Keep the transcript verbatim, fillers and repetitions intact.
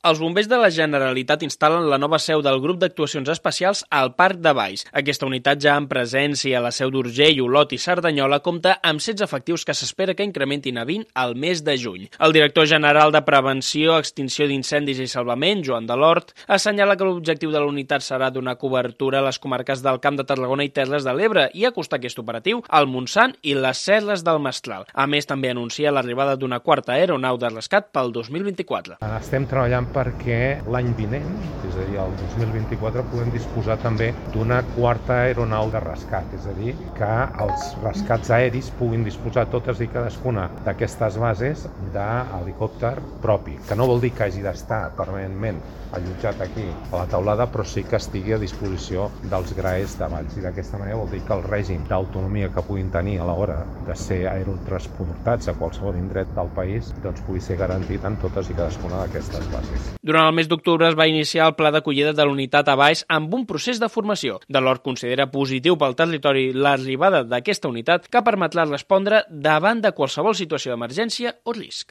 Els bombers de la Generalitat instal·len la nova seu del grup d'actuacions especials al Parc de Valls. Aquesta unitat, ja en presència a la seu d'Urgell, Olot i Cerdanyola, compta amb setze efectius que s'espera que incrementin a vint al mes de juny. El director general de Prevenció, Extinció d'Incendis i Salvament, Joan Delort, assenyala que l'objectiu de la unitat serà donar cobertura a les comarques del Camp de Tarragona i Terres de l'Ebre i acostar aquest operatiu al Montsant i les Serres del Mestral. A més, també anuncia l'arribada d'una quarta aeronau de rescat pel dos mil vint-i-quatre. Estem treballant perquè l'any vinent, és a dir, el dos mil vint-i-quatre, puguem disposar també d'una quarta aeronau de rescat, és a dir, que els rescats aeris puguin disposar totes i cadascuna d'aquestes bases d'helicòpter propi, que no vol dir que hagi d'estar permanentment allotjat aquí a la taulada, però sí que estigui a disposició dels graers de Valls. I d'aquesta manera vol dir que el règim d'autonomia que puguin tenir a l'hora de ser aerotransportats a qualsevol indret del país doncs pugui ser garantit en totes i cadascuna d'aquestes bases. Durant el mes d'octubre es va iniciar el pla d'acollida de l'unitat a Valls amb un procés de formació. Delort considera positiu pel territori l'arribada d'aquesta unitat que permetrà respondre davant de qualsevol situació d'emergència o risc.